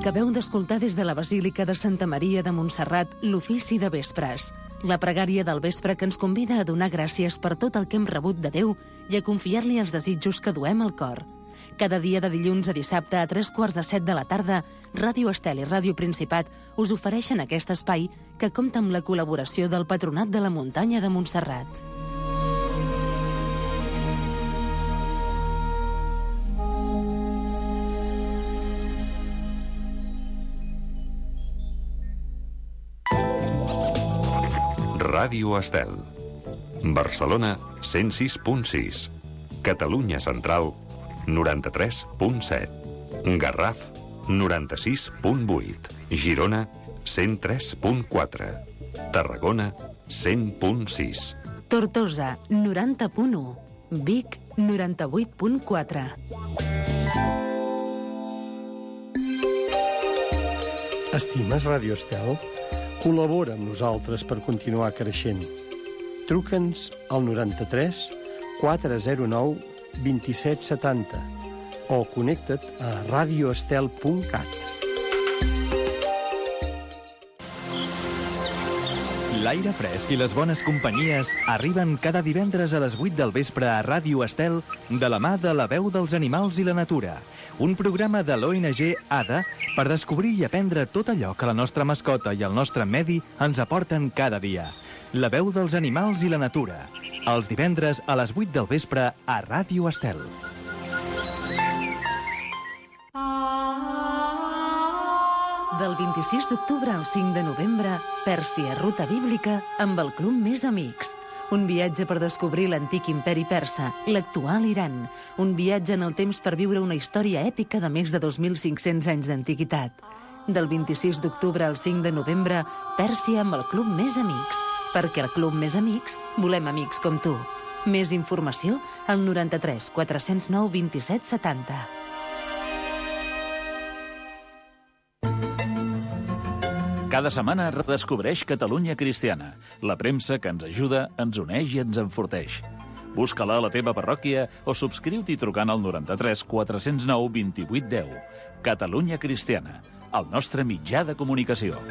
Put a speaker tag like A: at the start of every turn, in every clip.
A: Acabeu d'escoltar des de la Basílica de Santa Maria de Montserrat l'ofici de vespres, la pregària del vespre que ens convida a donar gràcies per tot el que hem rebut de Déu i a confiar-li els desitjos que duem al cor. Cada dia de dilluns a dissabte a 3:45 de la tarda, Ràdio Estel i Ràdio Principat us ofereixen aquest espai que compta amb la col·laboració del Patronat de la Muntanya de Montserrat.
B: Ràdio Estel. Barcelona, 106.6. Catalunya Central, 93.7. Garraf, 96.8. Girona, 103.4. Tarragona, 100.6.
A: Tortosa, 90.1. Vic, 98.4.
C: Estimes Ràdio Estel? Col·labora amb nosaltres per continuar creixent. Truca'ns al 93 409 2770 o connecta't a radioestel.cat.
D: L'aire fresc i les bones companyies arriben cada divendres a les 8 del vespre a Ràdio Estel de la mà de La Veu dels Animals i la Natura, un programa de l'ONG ADA per descobrir i aprendre tot allò que la nostra mascota i el nostre medi ens aporten cada dia. La Veu dels Animals i la Natura, els divendres a les 8 del vespre a Ràdio Estel.
A: Del 26 d'octubre al 5 de novembre, Pèrsia, ruta bíblica amb el Club Més Amics. Un viatge per descobrir l'antic imperi persa, l'actual Iran. Un viatge en el temps per viure una història èpica de més de 2.500 anys d'antiguitat. Del 26 d'octubre al 5 de novembre, Pèrsia amb el Club Més Amics. Perquè al Club Més Amics volem amics com tu. Més informació al 93 409 27 70.
E: Cada setmana redescobreix Catalunya Cristiana, la premsa que ens ajuda, ens uneix i ens enforteix. Busca-la a la teva parròquia o subscriu-t'hi trucant al 93 409 28 10. Catalunya Cristiana, el nostre mitjà de comunicació.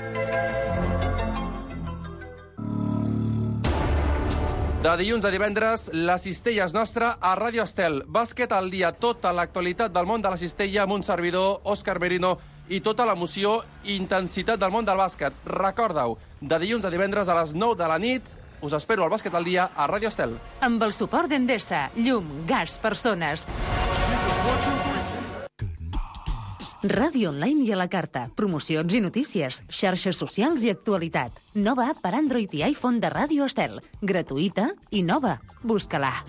F: De dilluns a divendres, la cistella és nostra a Ràdio Estel. Bàsquet al dia, tota l'actualitat del món de la cistella amb un servidor, Òscar Merino, i tota l'emoció i intensitat del món del bàsquet. Recorda-ho, de dilluns a divendres a les 9 de la nit, us espero al Bàsquet al dia a Ràdio Estel.
A: Amb el suport d'Endesa, llum, gas, persones. Ràdio online i a la carta, promocions i notícies, xarxes socials i actualitat. Nova app per Android i iPhone de Ràdio Estel. Gratuïta i nova. Busca-la.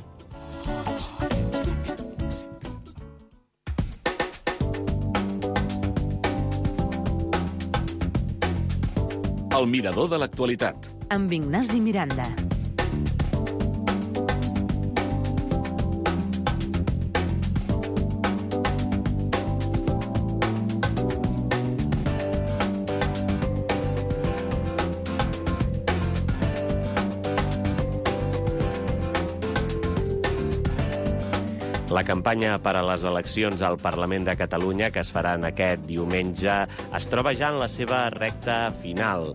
E: El mirador de l'actualitat.
A: Amb Ignasi Miranda.
G: La campanya per a les eleccions al Parlament de Catalunya, que es faran aquest diumenge, es troba ja en la seva recta final.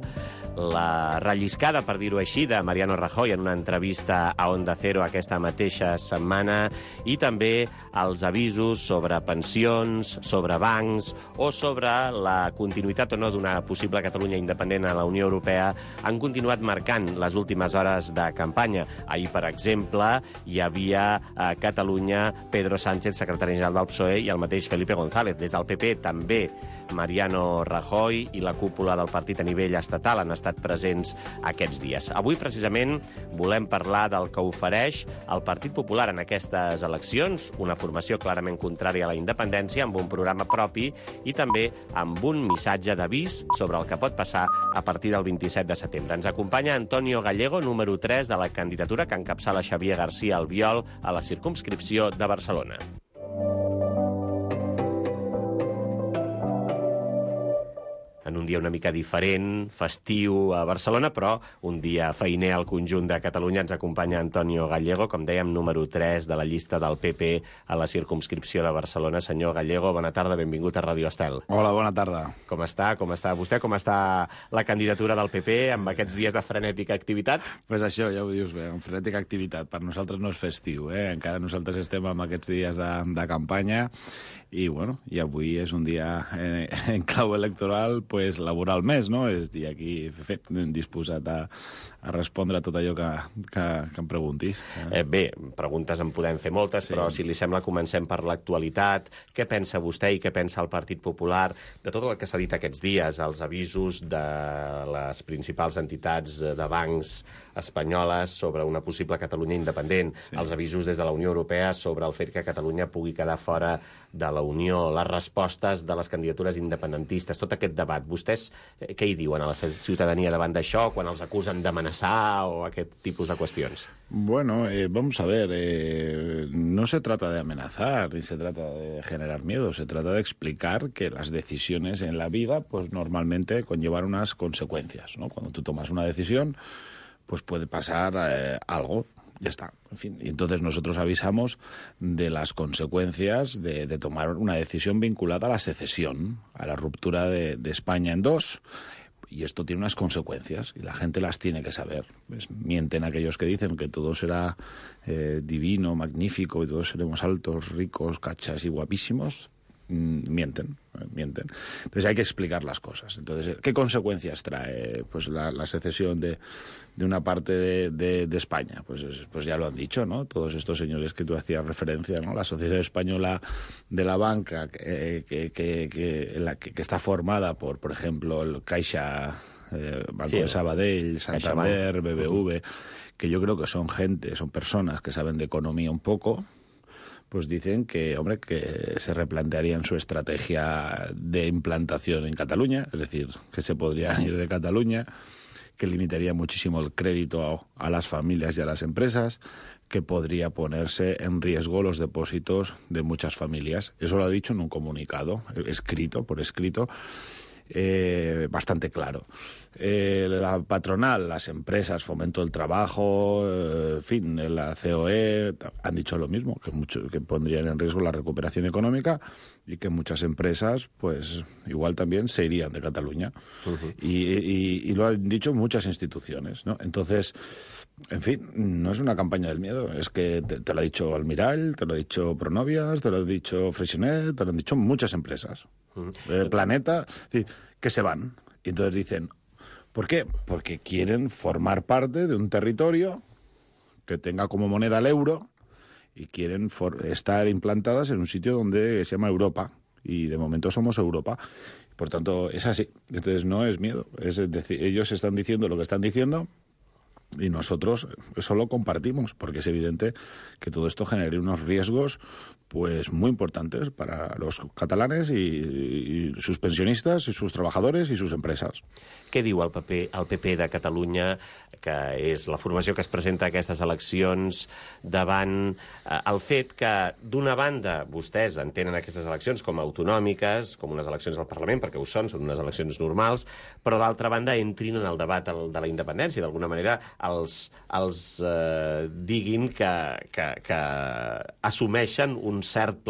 G: La relliscada, per dir-ho així, de Mariano Rajoy en una entrevista a Onda Cero aquesta mateixa setmana i també els avisos sobre pensions, sobre bancs o sobre la continuïtat o no d'una possible Catalunya independent a la Unió Europea han continuat marcant les últimes hores de campanya. Ahir, per exemple, hi havia a Catalunya Pedro Sánchez, secretari general del PSOE, i el mateix Felipe González. Des del PP també Mariano Rajoy i la cúpula del partit a nivell estatal han estat presents aquests dies. Avui, precisament, volem parlar del que ofereix el Partit Popular en aquestes eleccions, una formació clarament contrària a la independència, amb un programa propi i també amb un missatge d'avís sobre el que pot passar a partir del 27 de setembre. Ens acompanya Antonio Gallego, número 3 de la candidatura que encapçala Xavier García Albiol a la circumscripció de Barcelona. En un dia una mica diferent, festiu a Barcelona, però un dia feiner al conjunt de Catalunya. Ens acompanya Antonio Gallego, com dèiem, número 3 de la llista del PP a la circumscripció de Barcelona. Senyor Gallego, bona tarda, benvingut a Ràdio Estel.
H: Hola, bona tarda.
G: Com està? Com està vostè? Com està la candidatura del PP amb aquests dies de frenètica activitat?
H: Pues això, ja ho dius bé, amb frenètica activitat. Per nosaltres no és festiu, encara nosaltres estem amb aquests dies de campanya i, bueno, i avui és un dia en clau electoral, pues, laboral més, no? És dir, aquí disposat a respondre a tot allò que em preguntis.
G: Bé, preguntes en podem fer moltes, sí. Però si li sembla comencem per l'actualitat. Què pensa vostè i què pensa el Partit Popular de tot el que s'ha dit aquests dies, els avisos de les principals entitats de bancs espanyoles sobre una possible Catalunya independent, sí. Els avisos des de la Unió Europea sobre el fet que Catalunya pugui quedar fora de la Unió, les respostes de les candidatures independentistes, tot aquest debat. Vostès què hi diuen a la ciutadania davant d'això, quan els acusen d'amenaçar o aquest tipus de qüestions?
H: Bueno, vamos a ver, no se trata de amenazar ni se trata de generar miedo, se trata de explicar que las decisiones en la vida pues normalmente conllevan unas consecuencias, ¿no? Cuando tú tomas una decisión, pues puede pasar algo, ya está. En fin, y entonces nosotros avisamos de las consecuencias de tomar una decisión vinculada a la secesión, a la ruptura de España en dos. Y esto tiene unas consecuencias y la gente las tiene que saber. Pues mienten aquellos que dicen que todo será divino, magnífico y todos seremos altos, ricos, cachas y guapísimos. Mienten. Entonces hay que explicar las cosas. Entonces, ¿qué consecuencias trae pues la secesión de una parte de España? Pues ya lo han dicho, ¿no? Todos estos señores que tú hacías referencia, ¿no? La Sociedad Española de la Banca, que está formada por ejemplo, el Caixa, Banco de Sabadell, Santander, BBV, que yo creo que son personas que saben de economía un poco, pues dicen que, hombre, que se replantearían su estrategia de implantación en Cataluña, es decir, que se podrían ir de Cataluña, que limitaría muchísimo el crédito a las familias y a las empresas, que podría ponerse en riesgo los depósitos de muchas familias. Eso lo ha dicho en un comunicado por escrito, bastante claro. La patronal, las empresas, Fomento del Trabajo, en fin, la COE han dicho lo mismo, que pondrían en riesgo la recuperación económica y que muchas empresas, pues igual también se irían de Cataluña. Uh-huh. Y lo han dicho muchas instituciones, ¿no? Entonces, en fin, no es una campaña del miedo, es que te lo ha dicho Almirall, te lo ha dicho Pronovias, te lo ha dicho Freixenet, te lo han dicho muchas empresas. Planeta, que se van. Y entonces dicen, ¿por qué? Porque quieren formar parte de un territorio que tenga como moneda el euro y quieren estar implantadas en un sitio donde se llama Europa. Y de momento somos Europa. Por tanto, es así. Entonces no es miedo. Es decir, ellos están diciendo lo que están diciendo y nosotros eso lo compartimos, porque es evidente que todo esto generaría unos riesgos pues muy importantes para los catalanes y sus pensionistas, y sus trabajadores i sus empreses.
G: Què diu el PP de Catalunya, que és la formació que es presenta a aquestes eleccions, davant el fet que, d'una banda, vostès entenen aquestes eleccions com a autonòmiques, com unes eleccions al Parlament, perquè ho són unes eleccions normals, però d'altra banda entrin en el debat de la independència, d'alguna manera els diguin que assumeixen un cert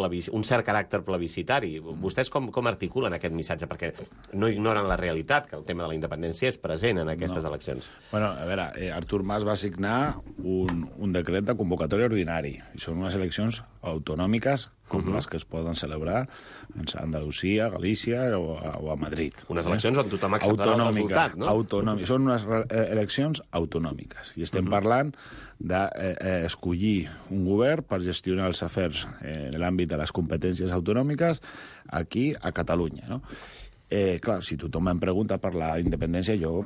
G: caràcter plebiscitari. Vostès com articulen aquest missatge? Perquè no ignoren la realitat, que el tema de la independència és present en aquestes eleccions.
H: Bueno, a veure, Artur Mas va signar un decret de convocatòria ordinari, i són unes eleccions autonòmiques com les que es poden celebrar a Andalusia, Galícia o a Madrid.
G: Unes eleccions on tothom acceptarà el resultat, no?
H: Són unes eleccions autonòmiques, i estem parlant d'escollir un govern per gestionar els afers en l'àmbit de les competències autonòmiques aquí a Catalunya, no? Clar, si tothom em pregunta per la independència, jo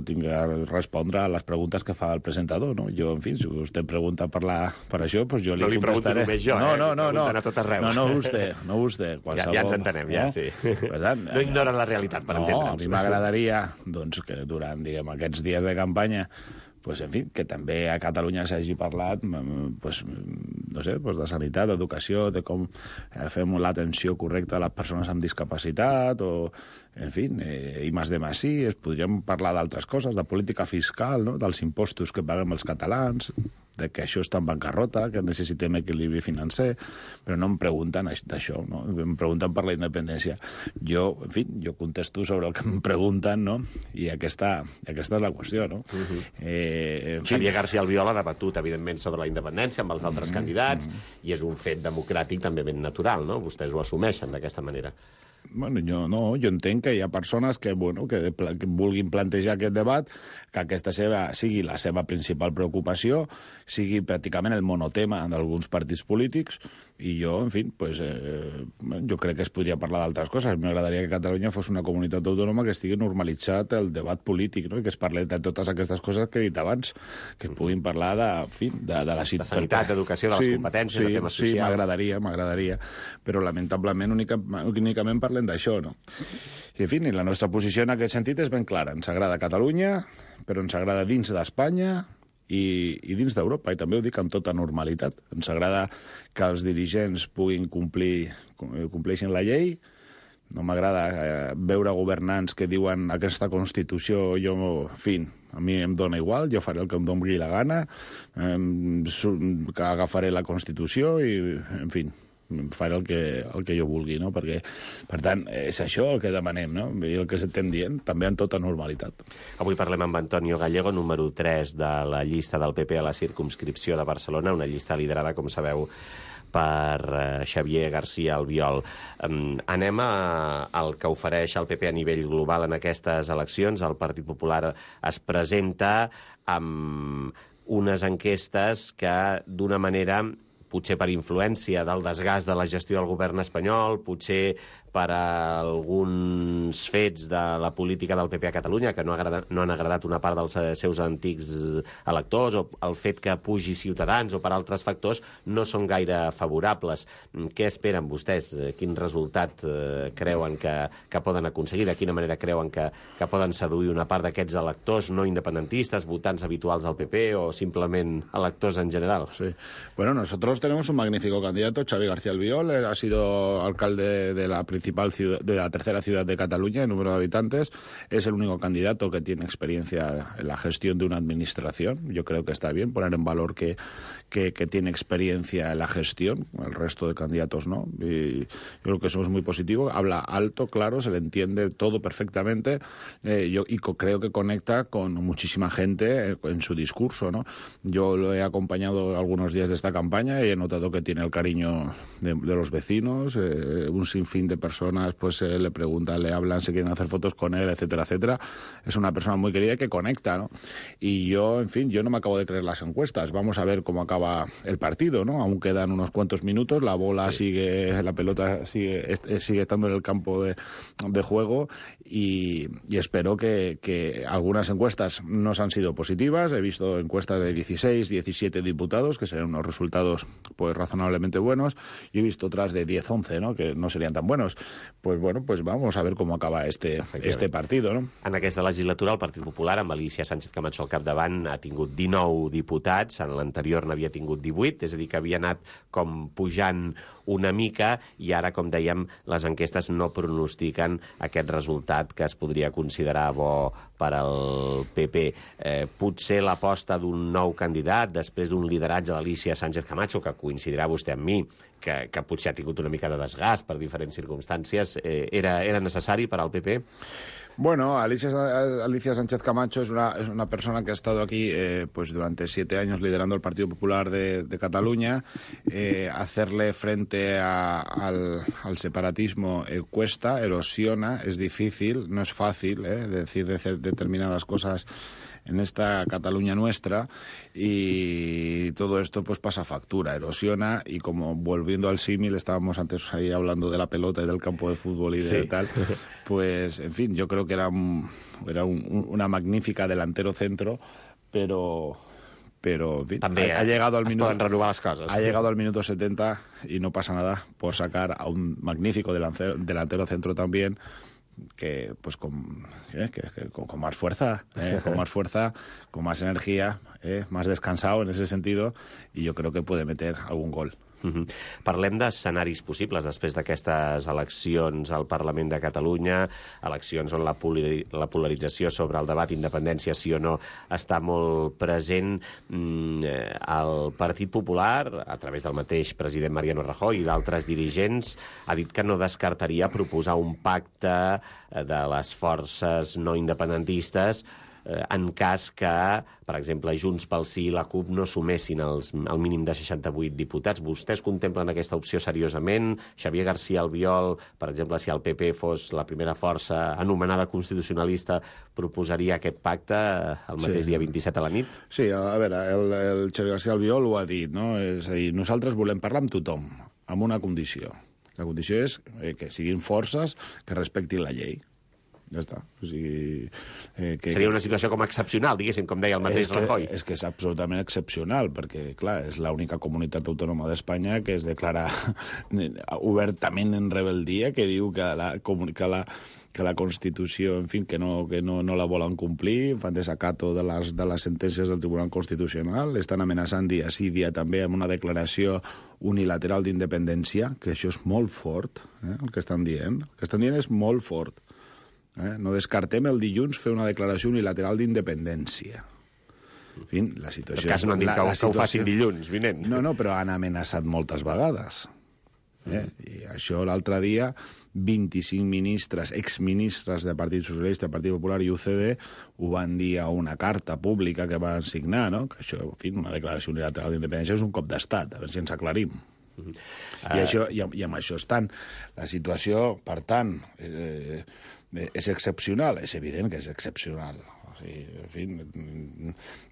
H: tinc que respondre a les preguntes que fa el presentador, no? Jo, en fi, si vostè em pregunta per això, doncs jo li contestaré.
G: No li pregunto només jo, pregunten a tot arreu.
H: No vostè.
G: Ja ens entenem, ja, sí. No ignoren la realitat, per entendre'ns.
H: A mi m'agradaria, doncs, que durant, aquests dies de campanya, pues, en fi, que també a Catalunya s'hagi parlat pues, no sé, pues de sanitat, d'educació, de com fem l'atenció correcta a les persones amb discapacitat, o, en fi, i més de més sí, podríem parlar d'altres coses, de política fiscal, no? Dels impostos que paguem els catalans, de que això està en bancarrota, que necessitem equilibri financer, però no em pregunten d'això, no? Em pregunten per la independència. Jo, en fi, jo contesto sobre el que em pregunten, no? I aquesta és la qüestió, no?
G: Xavier García Albiol ha debatut, evidentment, sobre la independència amb els altres candidats, i és un fet democràtic també ben natural, no? Vostès ho assumeixen d'aquesta manera.
H: Bueno, jo entenc que hi ha persones que vulguin plantejar aquest debat, que aquesta sigui la seva principal preocupació, sigui pràcticament el monotema d'alguns partits polítics, i jo, en fi, pues, jo crec que es podria parlar d'altres coses. M'agradaria que Catalunya fos una comunitat autònoma que estigui normalitzat el debat polític, no? I que es parli de totes aquestes coses que he dit abans, que es puguin parlar de la
G: sanitat, d'educació, de les competències, de temes socials.
H: Sí, m'agradaria, però lamentablement únicament parlem d'això, no? I, en fi, la nostra posició en aquest sentit és ben clara. Ens agrada Catalunya, però ens agrada dins d'Espanya i dins d'Europa, i també ho dic amb tota normalitat. Ens agrada que els dirigents puguin compleixin la llei. No m'agrada veure governants que diuen aquesta Constitució, en fi, a mi em dóna igual, jo faré el que em doni la gana, que agafaré la Constitució i, en fi, faré el que jo vulgui, no? Perquè, per tant, és això el que demanem, no? I el que estem dient, també en tota normalitat.
G: Avui parlem amb Antonio Gallego, número 3 de la llista del PP a la circumscripció de Barcelona, una llista liderada, com sabeu, per Xavier García Albiol. Anem al que ofereix el PP a nivell global en aquestes eleccions. El Partit Popular es presenta amb unes enquestes que, d'una manera, potser per influència del desgast de la gestió del govern espanyol, potser per alguns fets de la política del PP a Catalunya que no han agradat una part dels seus antics electors, o el fet que pugi Ciutadans, o per altres factors, no són gaire favorables. Què esperen vostès? Quin resultat creuen que poden aconseguir? De quina manera creuen que poden seduir una part d'aquests electors no independentistes, votants habituals del PP, o simplement electors en general?
H: Sí. Bueno, nosotros tenemos un magnífico candidato, Xavier García Albiol, ha sido alcalde de la principal ciudad, de la tercera ciudad de Cataluña en número de habitantes. Es el único candidato que tiene experiencia en la gestión de una administración. Yo creo que está bien poner en valor que tiene experiencia en la gestión. El resto de candidatos no. Y yo creo que eso es muy positivo. Habla alto, claro, se le entiende todo perfectamente. Creo que conecta con muchísima gente en su discurso, ¿no? Yo lo he acompañado algunos días de esta campaña y he notado que tiene el cariño de los vecinos, un sinfín de personas pues le preguntan, le hablan, se quieren hacer fotos con él, etcétera, etcétera. Es una persona muy querida que conecta, ¿no? Y yo, en fin, yo no me acabo de creer las encuestas. Vamos a ver cómo acaba el partido, ¿no? Aún quedan unos cuantos minutos, la bola sigue, la pelota sigue estando en el campo de juego y espero que algunas encuestas no han sido positivas. He visto encuestas de 16, 17 diputados, que serían unos resultados pues razonablemente buenos, y he visto otras de 10, 11, ¿no? Que no serían tan buenos. Pues bueno, pues vamos a ver cómo acaba este partido, no?
G: En aquesta legislatura el Partit Popular, amb Alicia Sánchez Camacho al capdavant, ha tingut 19 diputats, en l'anterior n'havia tingut 18, és a dir, que havia anat com pujant una mica, i ara, com dèiem, les enquestes no pronostiquen aquest resultat que es podria considerar bo per al PP. Potser l'aposta d'un nou candidat, després d'un lideratge d'Alicia Sánchez Camacho, que coincidirà vostè amb mi, que potser ha tingut una mica de desgast per diferents circumstàncies, era necessari per al PP?
H: Bueno, Alicia Sánchez Camacho es una persona que ha estado aquí pues durante 7 años liderando el Partido Popular de Cataluña. Hacerle frente al separatismo cuesta, erosiona, es difícil, no es fácil decir determinadas cosas en esta Cataluña nuestra, y todo esto pues pasa factura, erosiona, y como volviendo al símil, estábamos antes ahí hablando de la pelota y del campo de fútbol y de tal, pues en fin, yo creo que era una magnífica delantero centro, pero
G: també
H: ha llegado al minuto,
G: poden renovar les coses.
H: Ha llegado al minuto 70 y no pasa nada por sacar a un magnífico delantero centro también, pues con más fuerza, con más fuerza, con más energía, más descansado en ese sentido, y yo creo que puede meter algún gol.
G: Parlem d'escenaris possibles després d'aquestes eleccions al Parlament de Catalunya, eleccions on la polarització sobre el debat independència sí o no està molt present. El Partit Popular, a través del mateix president Mariano Rajoy i d'altres dirigents, ha dit que no descartaria proposar un pacte de les forces no independentistes en cas que, per exemple, Junts pel Sí i la CUP no sumessin el mínim de 68 diputats. Vostès contemplen aquesta opció seriosament? Xavier García Albiol, per exemple, si el PP fos la primera força anomenada constitucionalista, proposaria aquest pacte el mateix dia 27 a la nit?
H: Sí, a veure, el Xavier García Albiol ho ha dit, no? És a dir, nosaltres volem parlar amb tothom, amb una condició. La condició és que siguin forces que respectin la llei. Ja està. O sigui,
G: seria una situació com excepcional, diguéssim, com deia el mateix Rajoy.
H: És que és absolutament excepcional, perquè, clar, és l'única comunitat autònoma d'Espanya que es declara obertament en rebeldia, que diu que la Constitució, en fi, que no la volen complir, fan desacato de les sentències del Tribunal Constitucional, estan amenaçant dia sí, dia també amb una declaració unilateral d'independència, que això és molt fort, el que estan dient. El que estan dient és molt fort. No descartem el dilluns fer una declaració unilateral d'independència. En fi, la situació...
G: En cas no han dit que ho facin dilluns vinent.
H: No, però han amenaçat moltes vegades. I això l'altre dia 25 ministres, exministres del Partit Socialista, Partit Popular i UCD ho van dir a una carta pública que van signar, no? Que això, en fi, una declaració unilateral d'independència és un cop d'estat, a veure si ens aclarim. I amb això estan. La situació, per tant, és excepcional, és evident que és excepcional. O sigui, en fi,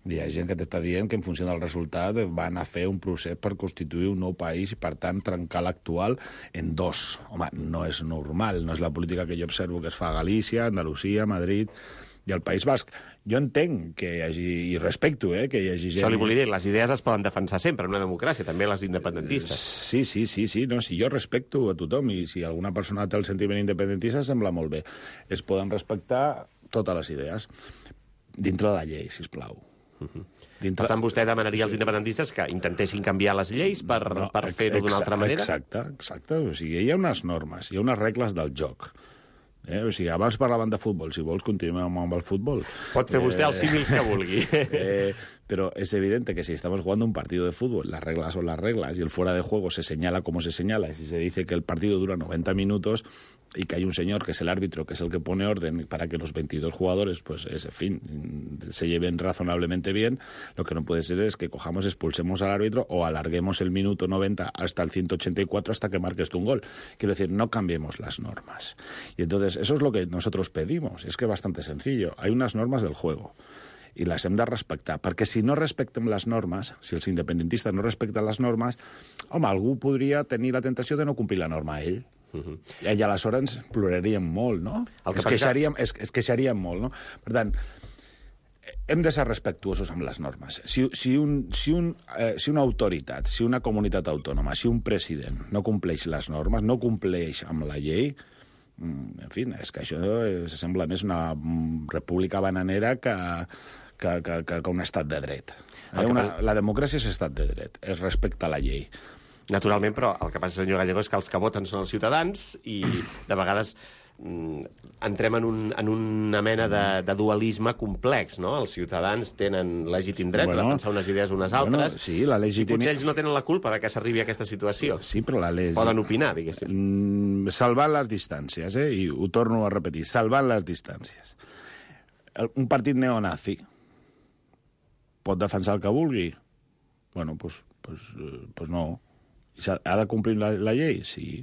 H: hi ha gent que t'està dient que en funció del resultat van a fer un procés per constituir un nou país i, per tant, trencar l'actual en dos. Home, no és normal, no és la política que jo observo que es fa a Galícia, Andalusia, Madrid i el País Basc. Jo entenc que hi hagi, i respecto, que hi hagi gent...
G: Això li volia dir, les idees es poden defensar sempre en una democràcia, també les independentistes.
H: Sí, no, si jo respecto a tothom, i si alguna persona té el sentiment independentista, sembla molt bé. Es poden respectar totes les idees, dintre de la llei, sisplau.
G: Per tant, vostè demanaria als independentistes que intentessin canviar les lleis per fer-ho d'una altra manera?
H: Exacte. O sigui, hi ha unes normes, hi ha unes regles del joc. O sigui, abans parlaven de futbol, si vols continuem amb el futbol.
G: Pot fer vostè els símils que vulgui.
H: Pero es evidente que si estamos jugando un partido de fútbol, las reglas son las reglas, y el fuera de juego se señala como se señala, y si se dice que el partido dura 90 minutos y que hay un señor que es el árbitro, que es el que pone orden para que los 22 jugadores, pues, en fin, se lleven razonablemente bien, lo que no puede ser es que cojamos, expulsemos al árbitro o alarguemos el minuto 90 hasta el 184 hasta que marques tú un gol. Quiero decir, no cambiemos las normas. Y entonces, eso es lo que nosotros pedimos. Es que es bastante sencillo. Hay unas normas del juego i les hem de respectar, perquè si no respectem les normes, si els independentistes no respecten les normes, home, algú podria tenir la tentació de no complir la norma a ell. I aleshores ploraríem molt, no? Es queixaríem molt, no? Per tant, hem de ser respectuosos amb les normes. Si una autoritat, si una comunitat autònoma, si un president no compleix les normes, no compleix amb la llei, en fi, és que això sembla més una república bananera que un estat de dret. La democràcia és estat de dret, es respecta la llei.
G: Naturalment, però el que passa, senyor Gallego, és que els que voten són els ciutadans i de vegades entrem en una mena de dualisme complex, no? Els ciutadans tenen legítim dret a defensar unes idees unes altres,
H: sí, i
G: potser ells no tenen la culpa de que s'arribi a aquesta situació.
H: Sí, però
G: poden opinar, diguéssim.
H: Salvant les distàncies, i ho torno a repetir, salvant les distàncies. Un partit neonazi pot defensar el que vulgui? Bueno, doncs no. Ha de complir la llei? Sí.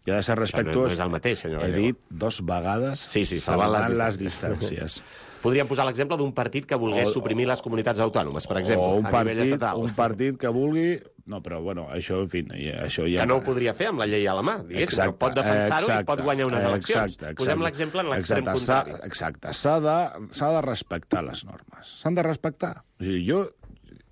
H: I ha de ser respectuós.
G: No és el mateix, senyor Gallego.
H: He dit 2 vegades salvant les distàncies.
G: Podríem posar l'exemple d'un partit que volgués suprimir les comunitats autònomes, per exemple,
H: a
G: nivell estatal.
H: Un partit que vulgui... No, però, bueno, això, en fi... Això ja...
G: Que no ho podria fer amb la llei a la mà, diguéssim. Exacte, pot defensar-ho i pot guanyar unes eleccions. Posem l'exemple en l'extrem contrari.
H: Exacte. S'ha de respectar les normes. S'han de respectar. O sigui, jo,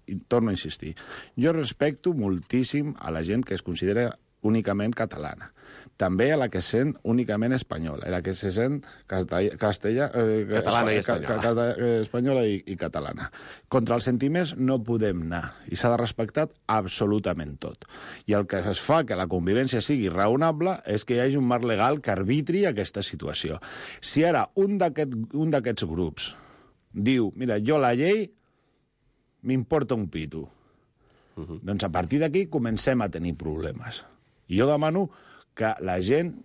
H: i torno a insistir, jo respecto moltíssim a la gent que es considera únicament catalana. També a la que se sent únicament espanyola, a la que se sent
G: catalana i espanyola.
H: Espanyola i catalana. Contra els sentiments no podem anar, i s'ha de respectar absolutament tot. I el que es fa que la convivència sigui raonable és que hi hagi un marc legal que arbitri aquesta situació. Si ara un d'aquests grups diu, mira, jo la llei m'importa un pito, doncs a partir d'aquí comencem a tenir problemes. I jo demano que la gent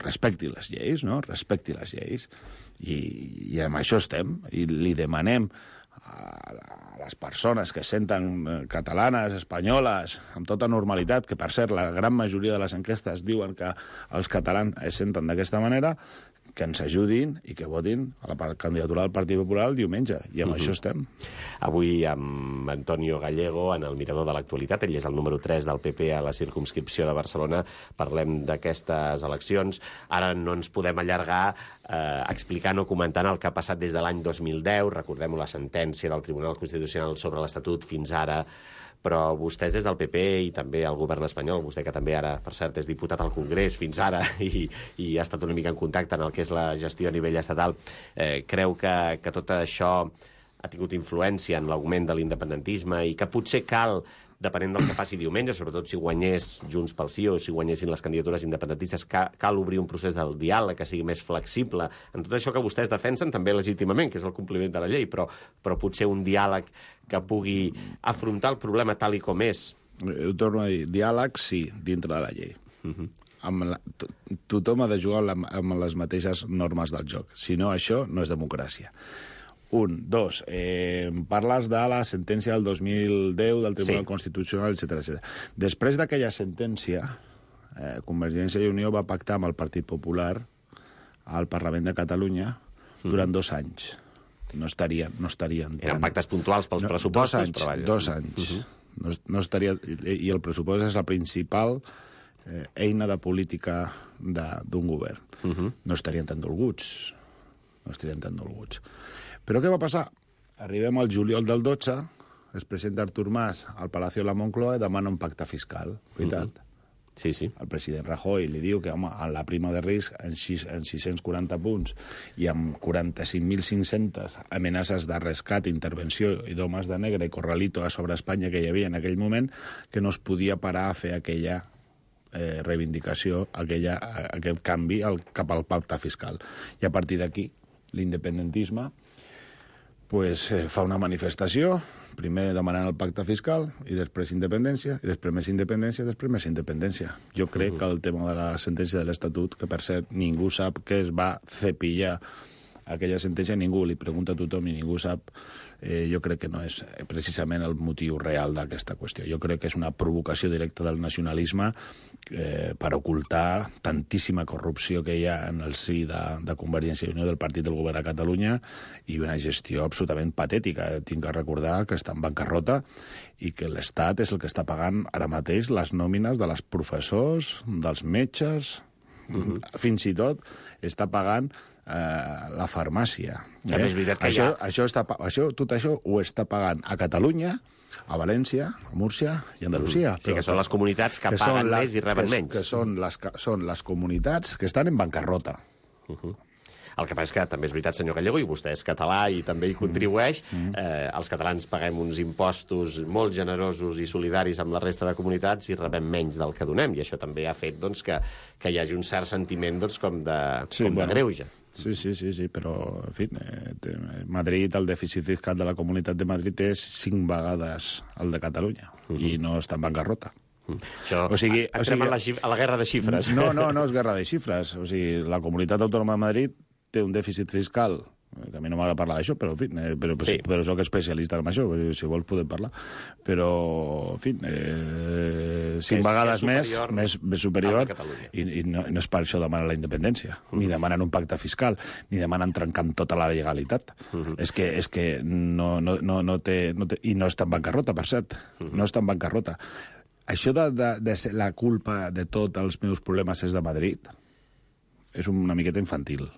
H: respecti les lleis, no? Respecti les lleis. I amb això estem. I li demanem a les persones que senten catalanes, espanyoles, amb tota normalitat, que per cert la gran majoria de les enquestes diuen que els catalans es senten d'aquesta manera, que ens ajudin i que votin a la candidatura del Partit Popular el diumenge. I amb això estem.
G: Avui amb Antonio Gallego, en el Mirador de l'Actualitat, ell és el número 3 del PP a la circumscripció de Barcelona, parlem d'aquestes eleccions. Ara no ens podem allargar explicant o comentant el que ha passat des de l'any 2010. Recordem la sentència del Tribunal Constitucional sobre l'Estatut fins ara, però vostès des del PP i també el govern espanyol, vostè que també ara, per cert, és diputat al Congrés fins ara i ha estat una mica en contacte en el que és la gestió a nivell estatal, creu que tot això ha tingut influència en l'augment de l'independentisme i que potser cal, depenent del que passi diumenge, sobretot si guanyés Junts pel Sí o si guanyessin les candidatures independentistes, cal obrir un procés del diàleg que sigui més flexible en tot això que vostès defensen també legítimament, que és el compliment de la llei, però potser un diàleg que pugui afrontar el problema tal i com és.
H: Ho torno a dir, diàleg sí, dintre de la llei. Tothom ha de jugar amb les mateixes normes del joc. Si no, això no és democràcia. Dos, parles de la sentència del 2010 del Tribunal Constitucional, etc. Després d'aquella sentència, Convergència i Unió va pactar amb el Partit Popular al Parlament de Catalunya durant 2 anys. No estarien
G: Eren pactes puntuals pels pressupostos, però vaja.
H: 2 anys. No estaria, i el pressupost és la principal eina de política d'un govern. No estarien tan dolguts. Però què va passar? Arribem al juliol del 12, es presenta Artur Mas al Palacio de la Moncloa i demana un pacte fiscal, veritat?
G: Sí.
H: El president Rajoy li diu que, home, en la prima de risc, en 640 punts i amb 45.500 amenaces de rescat, intervenció i d'homes de negre i corralito a sobre Espanya que hi havia en aquell moment, que no es podia parar a fer aquella reivindicació, aquest canvi cap al pacte fiscal. I a partir d'aquí, l'independentisme fa una manifestació, primer demanant el pacte fiscal, i després independència, i després més independència, i després més independència. Jo crec que el tema de la sentència de l'Estatut, que per cert ningú sap què es va cepillar aquella sentència, ningú li pregunta a tothom i ningú sap, jo crec que no és precisament el motiu real d'aquesta qüestió. Jo crec que és una provocació directa del nacionalisme per ocultar tantíssima corrupció que hi ha en el si de Convergència i Unió del Partit del Govern a Catalunya i una gestió absolutament patètica. Tinc que recordar que està en bancarrota i que l'Estat és el que està pagant ara mateix les nòmines de les professors, dels metges, fins i tot està pagant la farmàcia.
G: També és veritat que
H: tot això ho està pagant a Catalunya, a València, a Múrcia i a Andalusia.
G: Sí, que són les comunitats que paguen més i reben menys.
H: Que són les comunitats que estan en bancarrota.
G: El que passa és que també és veritat, senyor Gallego, i vostè és català i també hi contribueix, els catalans paguem uns impostos molt generosos i solidaris amb la resta de comunitats i rebem menys del que donem, i això també ha fet que hi hagi un cert sentiment com de greuge.
H: Sí, però, en fi, Madrid, el dèficit fiscal de la Comunitat de Madrid és 5 vegades el de Catalunya, i no està en bancarrota.
G: Això, entrem a la guerra de xifres.
H: No és guerra de xifres. O sigui, la Comunitat Autònoma de Madrid té un dèficit fiscal, que a mi no m'agrada parlar d'això, però, en fi, però soc especialista en això, si vols podem parlar. Però, en fi, 5 vegades més superior, i no és per això demanen la independència, ni demanen un pacte fiscal, ni demanen trencar amb tota la legalitat. És que no té... I no està en bancarrota, per cert. No està en bancarrota. Això de ser la culpa de tots els meus problemes és de Madrid és una miqueta infantil.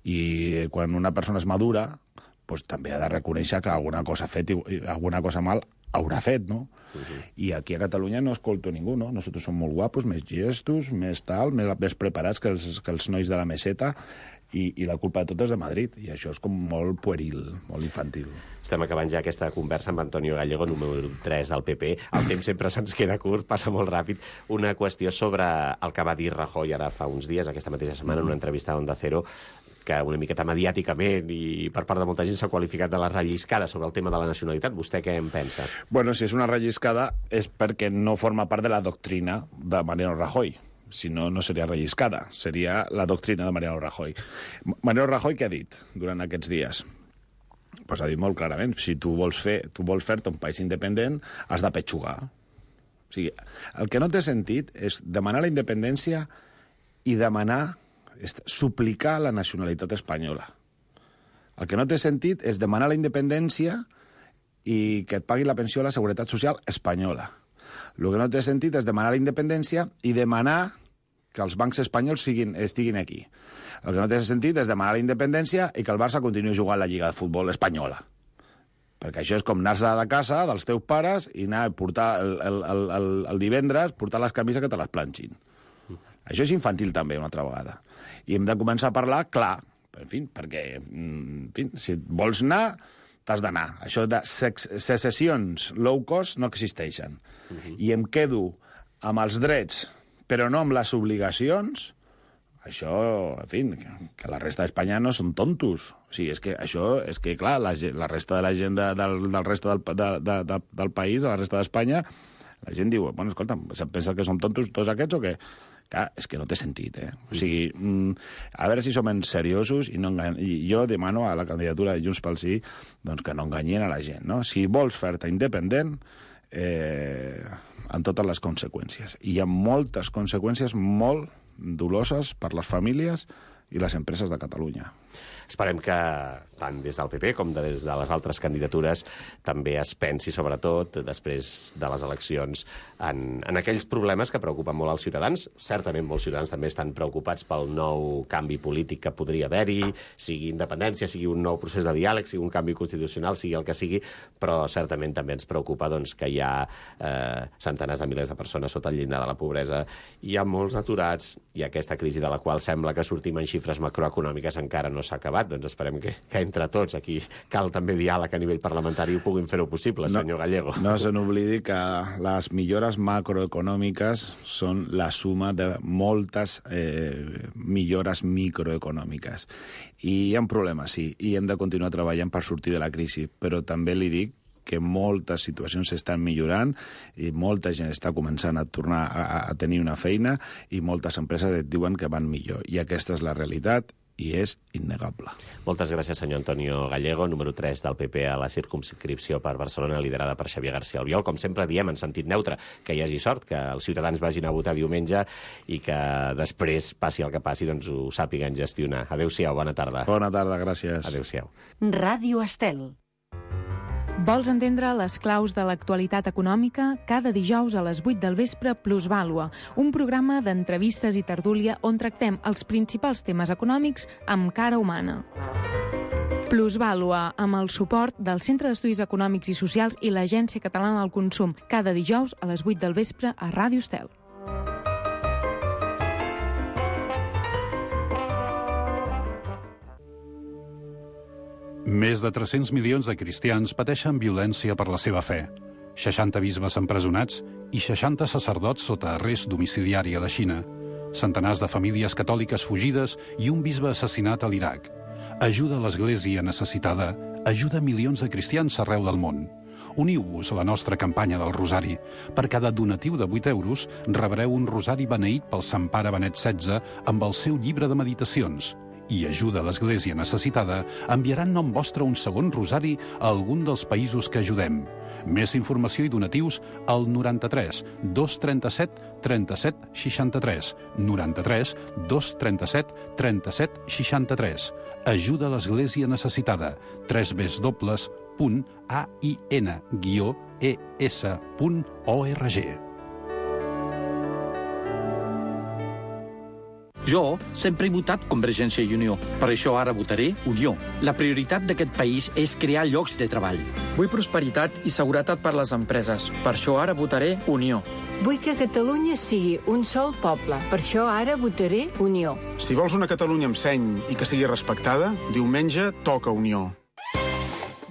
H: I quan una persona és madura, doncs també ha de reconèixer que alguna cosa ha fet i alguna cosa mal haurà fet, no? I aquí a Catalunya no escolto ningú, no? Nosaltres som molt guapos, més gestos, més tal, més preparats que els nois de la meseta, i la culpa de tot és de Madrid, i això és com molt pueril, molt infantil.
G: Estem acabant ja aquesta conversa amb Antonio Gallego, número 3 del PP. El temps sempre se'ns queda curt, passa molt ràpid. Una qüestió sobre el que va dir Rajoy ara fa uns dies, aquesta mateixa setmana, en una entrevista a Onda Cero, que una miqueta mediàticament i per part de molta gent s'ha qualificat de la relliscada sobre el tema de la nacionalitat. Vostè què en pensa?
H: Bueno, si és una relliscada és perquè no forma part de la doctrina de Mariano Rajoy. Si no, no seria relliscada, seria la doctrina de Mariano Rajoy. Mariano Rajoy què ha dit durant aquests dies? Pues ha dit molt clarament, si tu vols fer-te un país independent, has de petxugar. O sigui, el que no té sentit és demanar la independència i suplicar la nacionalitat espanyola. El que no té sentit és demanar la independència i que et pagui la pensió a la Seguretat Social espanyola. El que no té sentit és demanar la independència i demanar que els bancs espanyols estiguin aquí. El que no té sentit és demanar la independència i que el Barça continuï jugant la Lliga de Futbol espanyola. Perquè això és com anar-se de casa dels teus pares i anar a portar el divendres, portar les camises que te les planxin. Això és infantil també, una altra vegada. I hem de començar a parlar clar, perquè si vols anar, t'has d'anar. Això de secessions low cost no existeixen. I em quedo amb els drets, però no amb les obligacions. Això, que la resta d'Espanya no són tontos. O sigui, és que clar, la resta de la gent del reste del país, de la resta d'Espanya, la gent diu, bueno, escolta, pensa que som tontos tots aquests o què? Clar, és que no té sentit, O sigui, a veure si som seriosos i jo demano a la candidatura de Junts pel Sí doncs que no enganyin a la gent, no? Si vols fer-te independent, amb totes les conseqüències. I hi ha moltes conseqüències molt doloses per les famílies i les empreses de Catalunya.
G: Esperem que tant des del PP com des de les altres candidatures també es pensi, sobretot, després de les eleccions, en aquells problemes que preocupen molt als ciutadans. Certament molts ciutadans també estan preocupats pel nou canvi polític que podria haver-hi, sigui independència, sigui un nou procés de diàleg, sigui un canvi constitucional, sigui el que sigui, però certament també ens preocupa que hi ha centenars de milers de persones sota el llindar de la pobresa, hi ha molts aturats, i aquesta crisi de la qual sembla que sortim en xifres macroeconòmiques encara no s'ha acabat. Doncs esperem que entre tots, aquí cal també diàleg a nivell parlamentari, ho puguin fer-ho possible, senyor Gallego.
H: No se n'oblidi que les millores macroeconòmiques són la suma de moltes millores microeconòmiques. I hi ha problemes, sí, i hem de continuar treballant per sortir de la crisi, però també li dic que moltes situacions s'estan millorant i molta gent està començant a tornar a tenir una feina i moltes empreses et diuen que van millor. I aquesta és la realitat i és innegable.
G: Moltes gràcies, senyor Antonio Gallego, número 3 del PP a la circumscripció per Barcelona, liderada per Xavier García Albiol. Com sempre diem, en sentit neutre, que hi hagi sort, que els ciutadans vagin a votar diumenge i que després, passi el que passi, doncs ho sàpiguen gestionar. Adéu-siau, bona tarda.
H: Bona tarda, gràcies.
G: Adéu-siau.
A: Ràdio Estel.
I: Vols entendre les claus de l'actualitat econòmica? Cada dijous a les 8 del vespre, Plusvàlua, un programa d'entrevistes i tertúlia on tractem els principals temes econòmics amb cara humana. Plusvàlua, amb el suport del Centre d'Estudis Econòmics i Socials i l'Agència Catalana del Consum, cada dijous a les 8 del vespre a Ràdio Estel.
J: Més de 300 milions de cristians pateixen violència per la seva fe. 60 bisbes empresonats i 60 sacerdots sota arrest domiciliari a la Xina. Centenars de famílies catòliques fugides i un bisbe assassinat a l'Iraq. Ajuda a l'Església necessitada. Ajuda milions de cristians arreu del món. Uniu-vos a la nostra campanya del Rosari. Per cada donatiu de 8 euros rebreu un rosari beneït pel Sant Pare Benet XVI amb el seu llibre de meditacions. I Ajuda a l'Església necessitada enviaran nom vostre un segon rosari a algun dels països que ajudem. Més informació i donatius al 93 237 37 63. 93 237 37 63. Ajuda a l'Església necessitada. www.ain-es.org.
K: Jo sempre he votat Convergència i Unió. Per això ara votaré Unió. La prioritat d'aquest país és crear llocs de treball.
L: Vull prosperitat i seguretat per les empreses. Per això ara votaré Unió.
M: Vull que Catalunya sigui un sol poble. Per això ara votaré Unió.
N: Si vols una Catalunya amb seny i que sigui respectada, diumenge toca Unió.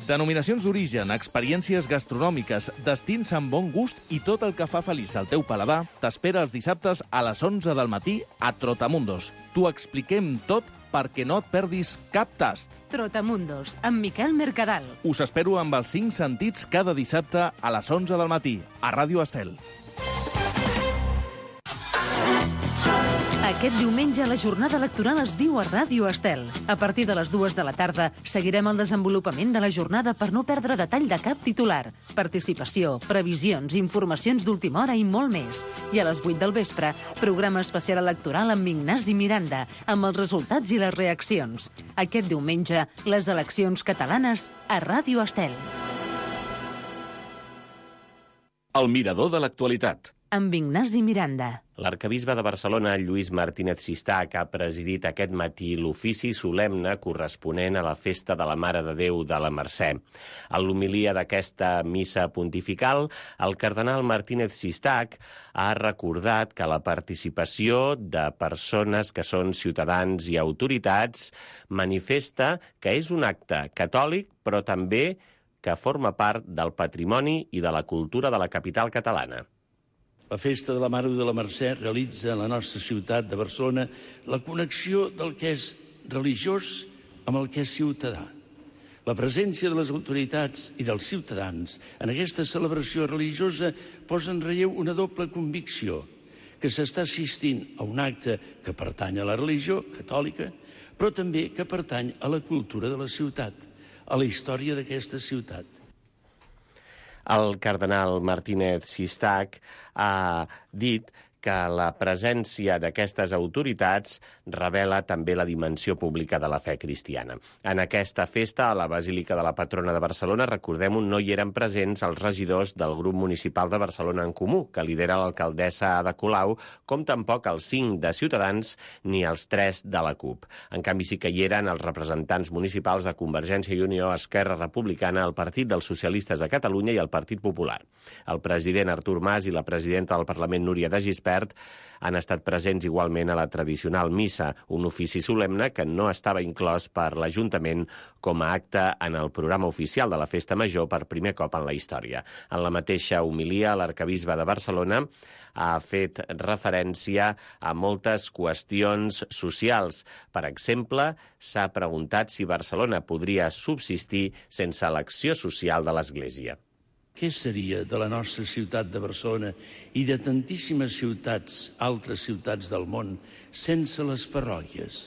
O: Denominacions d'origen, experiències gastronòmiques, destins amb bon gust i tot el que fa feliç al teu paladar t'espera els dissabtes a les 11 del matí a Trotamundos. T'ho expliquem tot perquè no et perdis cap tast.
A: Trotamundos, amb Miquel Mercadal.
O: Us espero amb els 5 sentits cada dissabte a les 11 del matí, a Ràdio Estel.
A: Aquest diumenge la jornada electoral es viu a Ràdio Estel. A partir de les 2 de la tarda seguirem el desenvolupament de la jornada per no perdre detall de cap titular. Participació, previsions, informacions d'última hora i molt més. I a les 8 del vespre, programa especial electoral amb Ignasi Miranda, amb els resultats i les reaccions. Aquest diumenge, les eleccions catalanes a Ràdio Estel.
B: El mirador de l'actualitat.
A: Amb Ignasi Miranda.
G: L'arcabisbe de Barcelona, Lluís Martínez Sistac, ha presidit aquest matí l'ofici solemne corresponent a la festa de la Mare de Déu de la Mercè. En l'homilia d'aquesta missa pontifical, el cardenal Martínez Sistac ha recordat que la participació de persones que són ciutadans i autoritats manifesta que és un acte catòlic, però també que forma part del patrimoni i de la cultura de la capital catalana.
P: La Festa de la Mare de la Mercè realitza en la nostra ciutat de Barcelona la connexió del que és religiós amb el que és ciutadà. La presència de les autoritats i dels ciutadans en aquesta celebració religiosa posa en relleu una doble convicció, que s'està assistint a un acte que pertany a la religió catòlica, però també que pertany a la cultura de la ciutat, a la història d'aquesta ciutat.
G: El cardenal Martínez Sistac ha dit que la presència d'aquestes autoritats revela també la dimensió pública de la fe cristiana. En aquesta festa, a la Basílica de la Patrona de Barcelona, recordem-ho, no hi eren presents els regidors del grup municipal de Barcelona en Comú, que lidera l'alcaldessa Ada Colau, com tampoc els 5 de Ciutadans ni els 3 de la CUP. En canvi, sí que hi eren els representants municipals de Convergència i Unió, Esquerra Republicana, el Partit dels Socialistes de Catalunya i el Partit Popular. El president Artur Mas i la presidenta del Parlament, Núria de Gispert, han estat presents igualment a la tradicional missa, un ofici solemne que no estava inclòs per l'Ajuntament com a acte en el programa oficial de la Festa Major per primer cop en la història. En la mateixa homilia, l'arcabisbe de Barcelona ha fet referència a moltes qüestions socials. Per exemple, s'ha preguntat si Barcelona podria subsistir sense l'acció social de l'Església.
P: Què seria de la nostra ciutat de Barcelona i de tantíssimes ciutats, altres ciutats del món, sense les parròquies,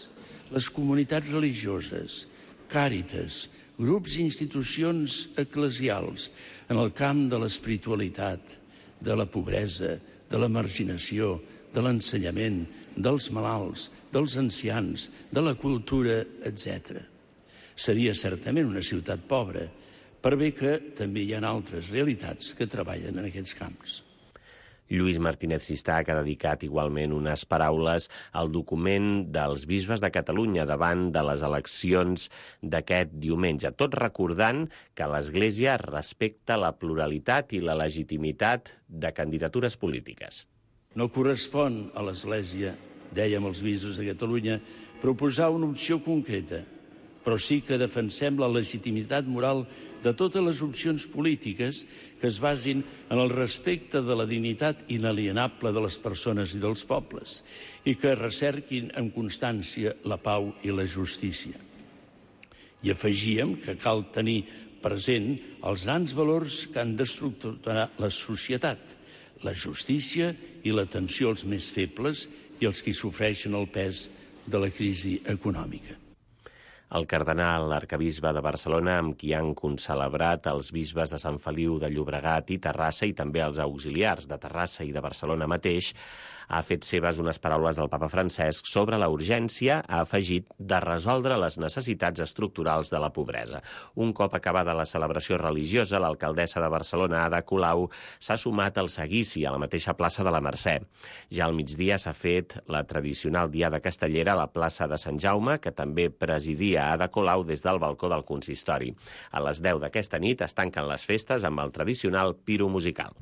P: les comunitats religioses, càritas, grups i institucions eclesials en el camp de l'espiritualitat, de la pobresa, de la marginació, de l'ensenyament, dels malalts, dels ancians, de la cultura, etc. Seria certament una ciutat pobra, per bé que també hi ha altres realitats que treballen en aquests camps.
G: Lluís Martínez Sistac ha dedicat igualment unes paraules al document dels bisbes de Catalunya davant de les eleccions d'aquest diumenge, tot recordant que l'Església respecta la pluralitat i la legitimitat de candidatures polítiques.
P: No correspon a l'Església, dèiem els bisbes de Catalunya, proposar una opció concreta, però sí que defensem la legitimitat moral de totes les opcions polítiques que es basin en el respecte de la dignitat inalienable de les persones i dels pobles i que recerquin amb constància la pau i la justícia. I afegíem que cal tenir present els grans valors que han d'estructurar la societat, la justícia i l'atenció als més febles i als que sofreixen el pes de la crisi econòmica.
G: El cardenal arcabisbe de Barcelona, amb qui han concelebrat els bisbes de Sant Feliu de Llobregat i Terrassa i també els auxiliars de Terrassa i de Barcelona mateix, ha fet seves unes paraules del papa Francesc sobre la urgència, ha afegit, de resoldre les necessitats estructurals de la pobresa. Un cop acabada la celebració religiosa, l'alcaldessa de Barcelona, Ada Colau, s'ha sumat al seguici a la mateixa plaça de la Mercè. Ja al migdia s'ha fet la tradicional diada castellera a la plaça de Sant Jaume, que també presidia Ada Colau des del balcó del consistori. A les 10 d'aquesta nit es tanquen les festes amb el tradicional piro musical.